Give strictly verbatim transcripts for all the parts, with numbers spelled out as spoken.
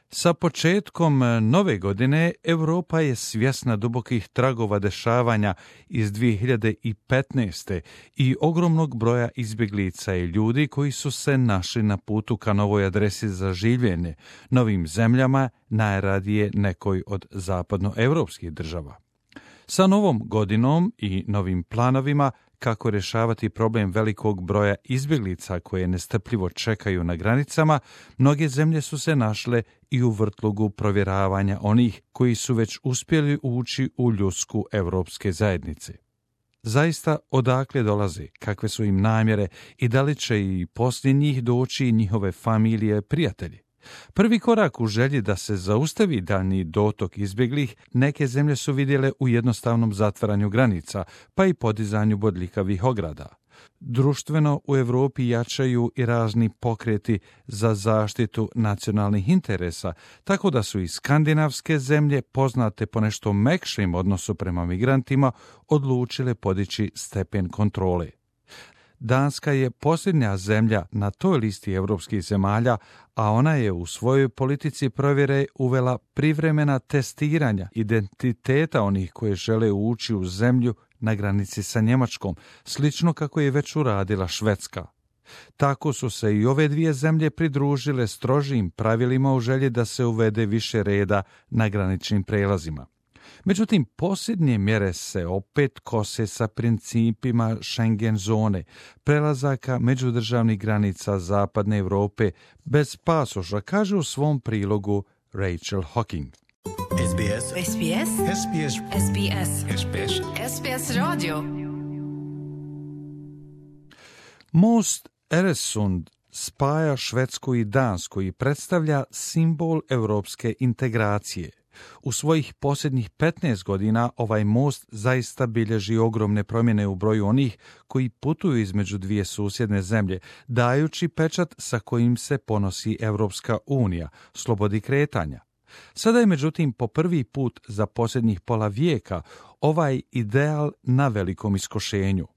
Sa početkom nove godine Europa je svjesna dubokih tragova dešavanja iz dvije hiljade petnaeste. i ogromnog broja izbjeglica i ljudi koji su se našli na putu ka novoj adresi za življenje, novim zemljama, najradije nekoj od zapadnoevropskih država. Sa novom godinom i novim planovima kako rješavati problem velikog broja izbjeglica koje nestrpljivo čekaju na granicama, mnoge zemlje su se našle i u vrtlogu provjeravanja onih koji su već uspjeli ući u ljudsku europske zajednice. Zaista, odakle dolaze, kakve su im namjere i da li će i poslije njih doći njihove familije, prijatelji? Prvi korak u želji da se zaustavi daljnji dotok izbjeglih neke zemlje su vidjele u jednostavnom zatvaranju granica, pa i podizanju bodljikavih ograda. Društveno u Europi jačaju i razni pokreti za zaštitu nacionalnih interesa, tako da su i skandinavske zemlje, poznate po nešto mekšim odnosu prema migrantima, odlučile podići stepen kontrole. Danska je posljednja zemlja na toj listi europskih zemalja, a ona je u svojoj politici provjere uvela privremena testiranja identiteta onih koji žele ući u zemlju na granici sa Njemačkom, slično kako je već uradila Švedska. Tako su se i ove dvije zemlje pridružile strožim pravilima u želji da se uvede više reda na graničnim prelazima. Međutim, posljednje mjere se opet kose sa principima Schengen zone, prelazaka međudržavnih granica zapadne Europe bez pasoša, kaže u svom prilogu Rachel Hocking. S B S. S B S. S B S. S B S. S B S. S B S radio. Most Øresund spaja Švedsku i Dansku i predstavlja simbol europske integracije. U svojih posljednjih petnaest godina ovaj most zaista bilježi ogromne promjene u broju onih koji putuju između dvije susjedne zemlje, dajući pečat sa kojim se ponosi Europska unija, slobodi kretanja. Sada je međutim po prvi put za posljednjih pola vijeka ovaj ideal na velikom iskošenju.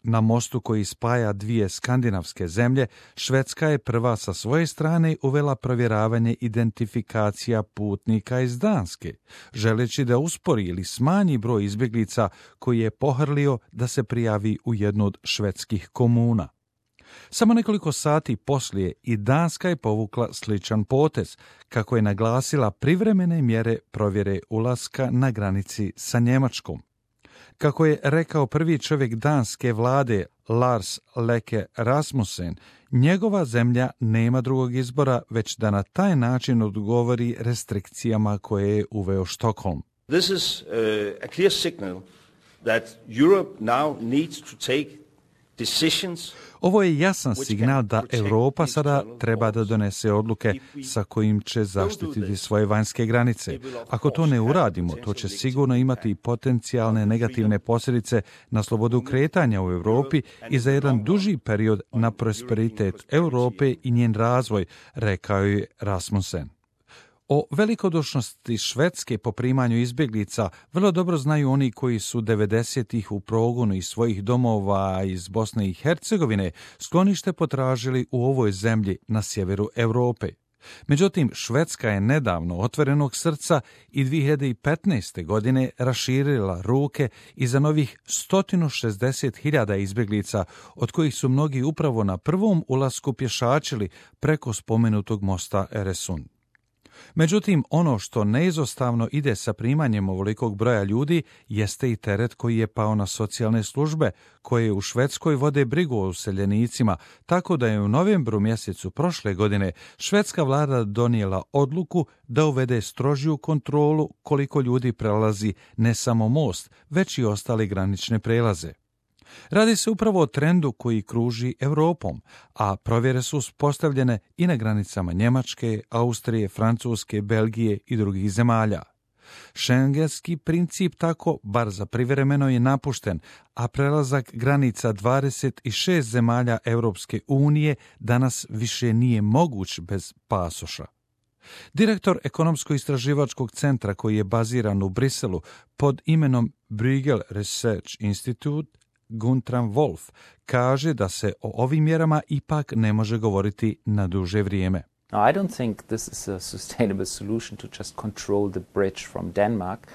Na mostu koji spaja dvije skandinavske zemlje, Švedska je prva sa svoje strane uvela provjeravanje identifikacija putnika iz Danske, želeći da uspori ili smanji broj izbjeglica koji je pohrlio da se prijavi u jednu od švedskih komuna. Samo nekoliko sati poslije i Danska je povukla sličan potez, kako je naglasila privremene mjere provjere ulaska na granici sa Njemačkom. Kako je rekao prvi čovjek danske vlade Lars Løkke Rasmussen, njegova zemlja nema drugog izbora već da na taj način odgovori restrikcijama koje je uveo Stockholm. This is uh, a clear signal that Europe now needs to take decisions. Ovo je jasan signal da Europa sada treba da donese odluke sa kojim će zaštititi svoje vanjske granice. Ako to ne uradimo, to će sigurno imati potencijalne negativne posljedice na slobodu kretanja u Europi i za jedan duži period na prosperitet Europe i njen razvoj, rekao je Rasmussen. O velikodušnosti Švedske po primanju izbjeglica vrlo dobro znaju oni koji su devedesetih u progonu iz svojih domova iz Bosne i Hercegovine sklonište potražili u ovoj zemlji na sjeveru Europe. Međutim, Švedska je nedavno otvorenog srca i dvije hiljade petnaeste. godine raširila ruke i za novih sto šezdeset hiljada izbjeglica, od kojih su mnogi upravo na prvom ulasku pješačili preko spomenutog mosta Øresund. Međutim, ono što neizostavno ide sa primanjem ovolikog broja ljudi jeste i teret koji je pao na socijalne službe, koje u Švedskoj vode brigu o useljenicima, tako da je u novembru mjesecu prošle godine švedska vlada donijela odluku da uvede strožiju kontrolu koliko ljudi prelazi ne samo most, već i ostale granične prelaze. Radi se upravo o trendu koji kruži Europom, a provjere su uspostavljene i na granicama Njemačke, Austrije, Francuske, Belgije i drugih zemalja. Schengenski princip tako, bar za privremeno, je napušten, a prelazak granica dvadeset šest zemalja Europske unije danas više nije moguć bez pasoša. Direktor ekonomsko-istraživačkog centra koji je baziran u Briselu pod imenom Bruegel Research Institute, Guntram Wolf, kaže da se o ovim mjerama ipak ne može govoriti na duže vrijeme. Now, I don't think this is a sustainable solution to just control the bridge from Denmark.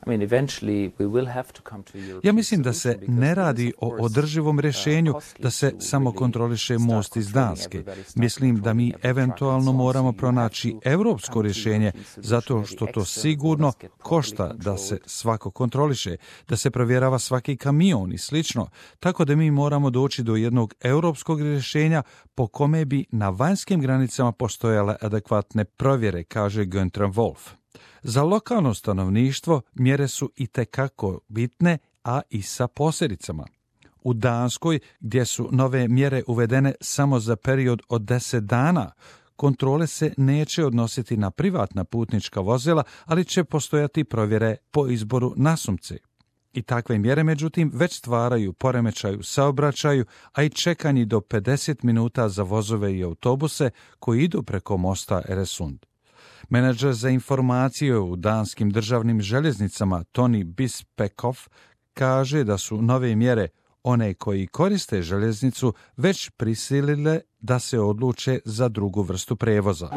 I mean, eventually we will have to come to European Ja mislim da se ne radi o održivom rješenju da se samo kontroliše most iz Danske. Mislim da mi eventualno moramo pronaći europsko rješenje zato što to sigurno košta da se svako kontroliše, da se provjerava svaki kamion i slično, tako da mi moramo doći do jednog europskog rješenja po kome bi na vanjskim granicama postojale adekvatne provjere, kaže Günther Wolf. Za lokalno stanovništvo mjere su itekako bitne, a i sa posljedicama. U Danskoj, gdje su nove mjere uvedene samo za period od deset dana, kontrole se neće odnositi na privatna putnička vozila, ali će postojati provjere po izboru nasumce. I takve mjere, međutim, već stvaraju poremećaj u saobraćaju, a i čekanje do pedeset minuta za vozove i autobuse koji idu preko mosta Øresund. Menadžer za informacije u danskim državnim željeznicama Tony Bispekov kaže da su nove mjere one koji koriste željeznicu već prisilile da se odluče za drugu vrstu prevoza.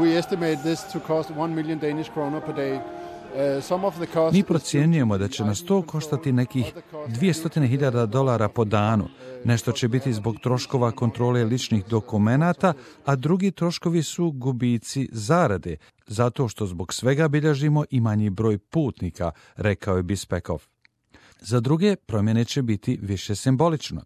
Mi procjenjujemo da će nas to koštati nekih dvjesto hiljada dolara po danu. Nešto će biti zbog troškova kontrole ličnih dokumenata, a drugi troškovi su gubici zarade, zato što zbog svega bilježimo i manji broj putnika, rekao je Bispekov. Za druge promjene će biti više simbolično.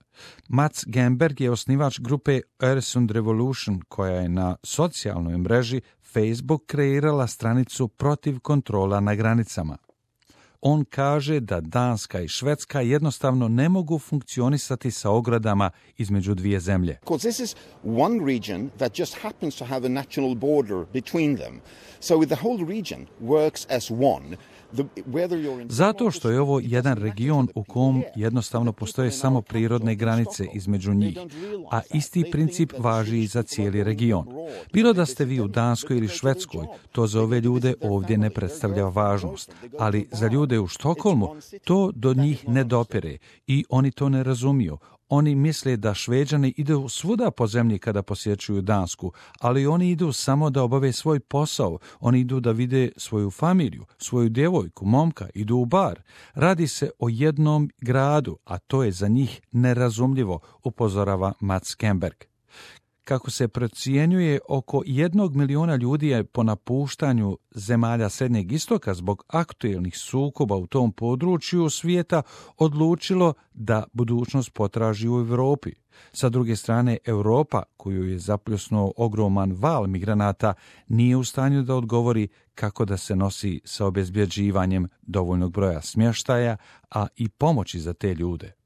Mats Gemberg je osnivač grupe Øresund Revolution, koja je na socijalnoj mreži Facebook kreirala stranicu protiv kontrola na granicama. On kaže da Danska i Švedska jednostavno ne mogu funkcionisati sa ogradama između dvije zemlje. This is one region that just happens to have a national border between them. So the whole region works as one. Zato što je ovo jedan region u kom jednostavno postoje samo prirodne granice između njih, a isti princip važi i za cijeli region. Bilo da ste vi u Danskoj ili Švedskoj, to za ove ljude ovdje ne predstavlja važnost, ali za ljude u Štokholmu to do njih ne dopire i oni to ne razumiju. Oni misle da Šveđani idu svuda po zemlji kada posjećuju Dansku, ali oni idu samo da obave svoj posao. Oni idu da vide svoju familiju, svoju djevojku, momka, idu u bar. Radi se o jednom gradu, a to je za njih nerazumljivo, upozorava Mats Gemberg. Kako se procjenjuje, oko jednog miliona ljudi je po napuštanju zemalja Srednjeg istoka zbog aktuelnih sukoba u tom području svijeta odlučilo da budućnost potraži u Europi. Sa druge strane, Europa, koju je zapljusnuo ogroman val migranata, nije u stanju da odgovori kako da se nosi sa obezbjeđivanjem dovoljnog broja smještaja, a i pomoći za te ljude.